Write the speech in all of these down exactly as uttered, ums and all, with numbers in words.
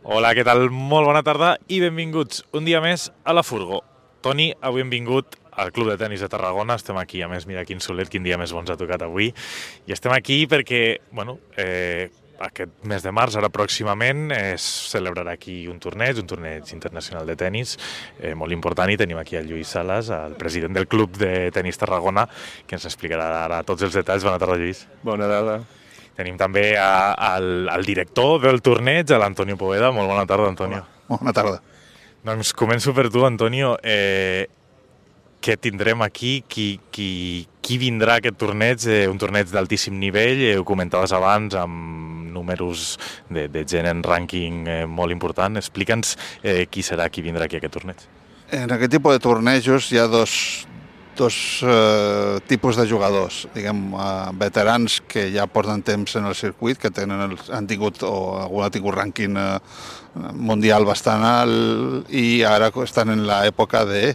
Hola, què tal? Molt bona tarda i benvinguts un dia més a la Furgo. Toni, avui hem vingut al Club de Tenis de Tarragona, estem aquí, a més, mira quin solet, quin dia més bo ens ha tocat avui, i estem aquí perquè, bueno, eh, aquest mes de març, ara pròximament, es celebrarà aquí un torneig, un torneig internacional de tenis, eh, molt important, i tenim aquí el Lluís Salas, el president del Club de Tenis Tarragona, que ens explicarà ara tots els detalls. Bona tarda, Lluís. Bona tarda. Tenim també a, al, al director del torneig, l'Antonio Poveda. Molt bona tarda, Antonio. Hola. Bona tarda. Doncs començo per tu, Antonio. Eh, què tindrem aquí? Qui, qui, qui vindrà a aquest torneig? Eh, un torneig d'altíssim nivell, eh, ho comentaves abans, amb números de, de gent en rànquing eh, molt important. Explica'ns eh, qui serà qui vindrà aquí a aquest torneig. En aquest tipus de tornejos hi ha dos, dos eh, tipus de jugadors, diguem, eh, veterans que ja porten temps en el circuit, que tenen el, han tingut o algú ha tingut rànquing eh, mundial bastant alt i ara estan en l'època de,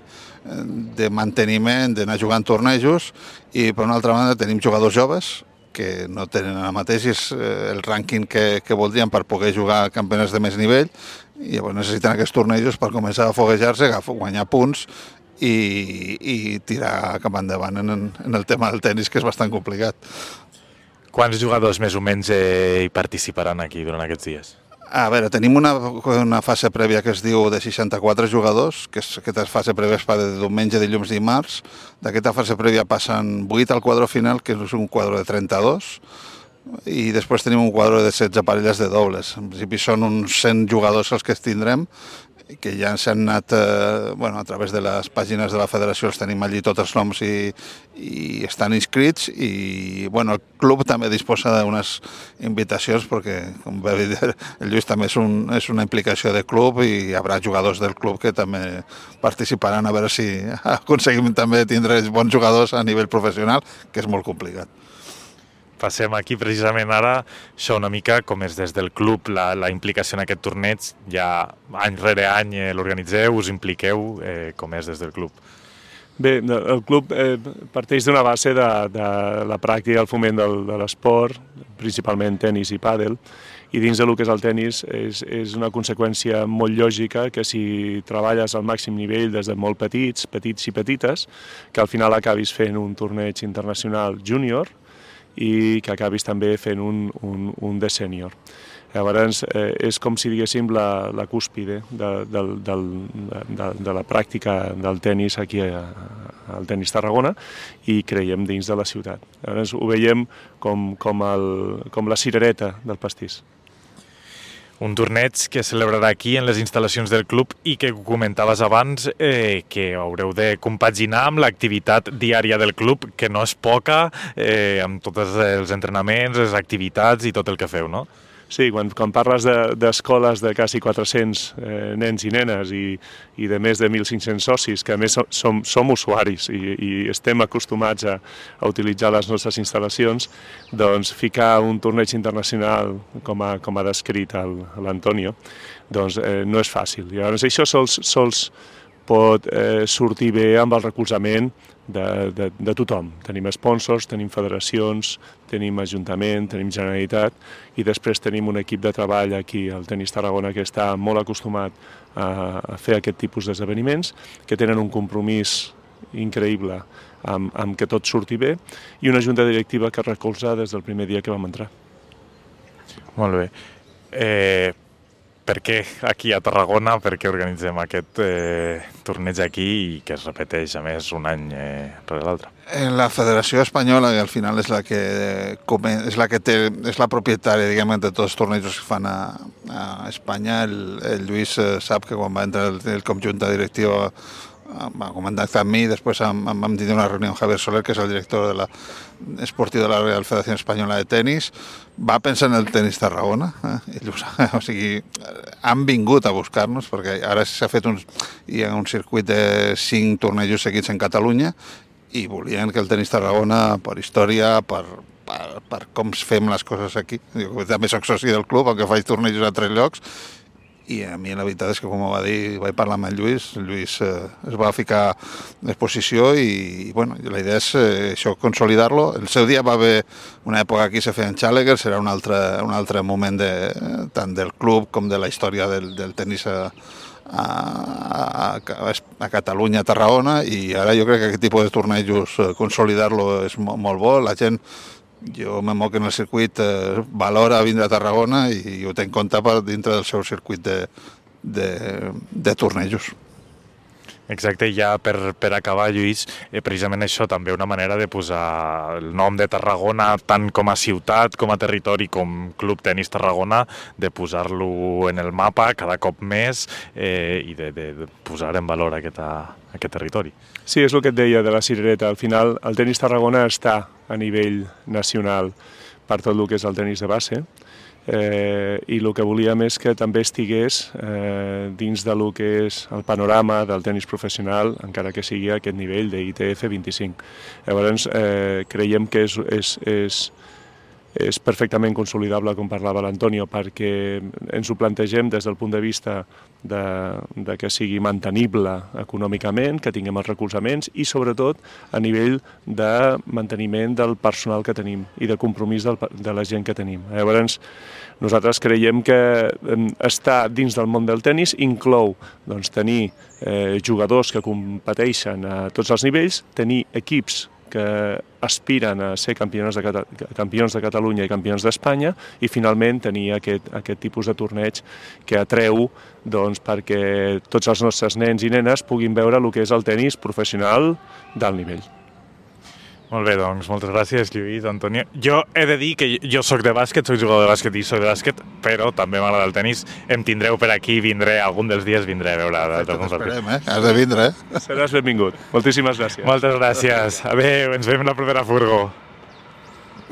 de manteniment, d'anar jugant tornejos, i per una altra banda tenim jugadors joves que no tenen ara mateix el rànquing que, que voldrien per poder jugar a campionats de més nivell, i llavors necessiten aquests tornejos per començar a foguejar-se, guanyar punts i, i tirar cap endavant en, en el tema del tenis, que és bastant complicat. Quants jugadors més o menys eh, hi participaran aquí durant aquests dies? A veure, tenim una, una fase prèvia que es diu de seixanta-quatre jugadors, que és, aquesta fase prèvia es fa de diumenge, dilluns, dimarts. D'aquesta fase prèvia passen vuit al quadre final, que és un quadre de trenta-dos, i després tenim un quadre de setze parelles de dobles. En principi són uns cent jugadors els que es tindrem, que ja s'han anat, eh, bueno, a través de les pàgines de la federació els tenim allí tots els noms i, i estan inscrits, i bueno, el club també disposa d'unes invitacions perquè, com va dir el Lluís, també és, un, és una implicació de club i hi haurà jugadors del club que també participaran, a veure si aconseguim també tindre bons jugadors a nivell professional, que és molt complicat. Passem aquí precisament ara, això una mica com és des del club la, la implicació en aquest torneig. Ja any rere any eh, l'organitzeu, us impliqueu, eh, com és des del club? Bé, el club eh, parteix d'una base de, de la pràctica i el foment del, de l'esport, principalment tenis i pàdel, i dins del que és el tenis és, és una conseqüència molt lògica que si treballes al màxim nivell des de molt petits, petits i petites, que al final acabis fent un torneig internacional júnior, i que acabis també fent un, un, un de sènior. Llavors, eh, és com si diguéssim la, la cúspide de, de, de, de, de la pràctica del tenis aquí a, al Tenis Tarragona, i creiem dins de la ciutat. Llavors, ho veiem com, com, el, com la cirereta del pastís. Un torneig que celebrarà aquí en les instal·lacions del club i que comentaves abans eh, que haureu de compaginar amb l'activitat diària del club, que no és poca, eh, amb tots els entrenaments, les activitats i tot el que feu, no? Sí, quan, quan parles d'escoles de, de quasi quatre-cents eh, nens i nenes i, i de més de mil cinc-cents socis, que a més som, som usuaris i, i estem acostumats a, a utilitzar les nostres instal·lacions, doncs ficar un torneig internacional, com ha, com ha descrit l'Antonio, doncs eh, no és fàcil. Llavors, això sols, sols pot eh, sortir bé amb el recolzament de, de, de tothom. Tenim sponsors, tenim federacions, tenim Ajuntament, tenim Generalitat, i després tenim un equip de treball aquí al Tenis Tarragona que està molt acostumat a, a fer aquest tipus d'esdeveniments, que tenen un compromís increïble amb, amb que tot surti bé, i una junta directiva que recolza des del primer dia que vam entrar. Molt bé. Eh... Per què aquí a Tarragona, per què organitzem aquest eh, torneig aquí i que es repeteix, a més, un any eh, rere l'altre? La Federació Espanyola, que al final és la que, és la, que té, és la propietària, diguem, de tots els tornejos que fan a, a Espanya. El, el Lluís sap que quan va entrar el, el conjunt directiu va contactar amb mi, després vam, vam tenir una reunió amb Javier Soler, que és el director de la esportiu de la Real Federació Espanyola de Tenis. Va pensar en el Tenis Tarragona, eh? Ells, o sigui, han vingut a buscar-nos, perquè ara s'ha fet un, hi ha un circuit de cinc tornejos seguits en Catalunya, i volien que el Tenis Tarragona, per història, per, per, per com fem les coses aquí, jo també soc soci del club, aunque faig tornejos a tres llocs, i a mi la veritat és que, com va dir, vaig parlar amb el Lluís, el Lluís eh, es va ficar en exposició i, i bueno, la idea és eh, això, consolidar-lo. El seu dia va haver una època aquí se feien Challenger, serà un altre, un altre moment de, tant del club com de la història del, del tenis a, a, a, a Catalunya, a Tarragona, i ara jo crec que aquest tipus de tornejos eh, consolidar-lo és molt, molt bo. La gent, jo me moc en el circuit, eh, valora vindre a Tarragona i ho té en compte per dintre del seu circuit de, de, de tornejos. Exacte, i ja per, per acabar, Lluís, eh, precisament això també una manera de posar el nom de Tarragona tant com a ciutat, com a territori, com Club Tenis Tarragona, de posar-lo en el mapa cada cop més eh, i de, de, de posar en valor aquest, aquest territori. Sí, és el que et deia de la cirereta. Al final, el tenis Tarragona està a nivell nacional per tot el que és el tenis de base, eh, i el que volíem és que també estigués eh, dins de lo que és el panorama del tenis professional, encara que sigui a aquest nivell de I T F vint-i-cinc. Llavors, eh, creiem que és, és, és, és perfectament consolidable, com parlava l'Antonio, perquè ens ho plantegem des del punt de vista de, de que sigui mantenible econòmicament, que tinguem els recolzaments i, sobretot, a nivell de manteniment del personal que tenim i de compromís del, de la gent que tenim. Llavors, nosaltres creiem que estar dins del món del tenis inclou doncs, tenir eh, jugadors que competeixen a tots els nivells, tenir equips que aspiren a ser campions de, Cata campions de Catalunya i campions d'Espanya i finalment tenir aquest, aquest tipus de torneig que atreu doncs, perquè tots els nostres nens i nenes puguin veure el que és el tenis professional d'alt nivell. Molt bé, doncs, moltes gràcies, Lluís, Antonio. Jo he de dir que jo sóc de bàsquet, soc jugador de bàsquet i soc de bàsquet, però també m'agrada el tenis. Em tindreu per aquí, vindré, algun dels dies vindré a veure. T'esperem, eh? Has de vindre, eh? Seràs benvingut. Moltíssimes gràcies. Moltes gràcies. Adéu, ens veiem la propera furgo.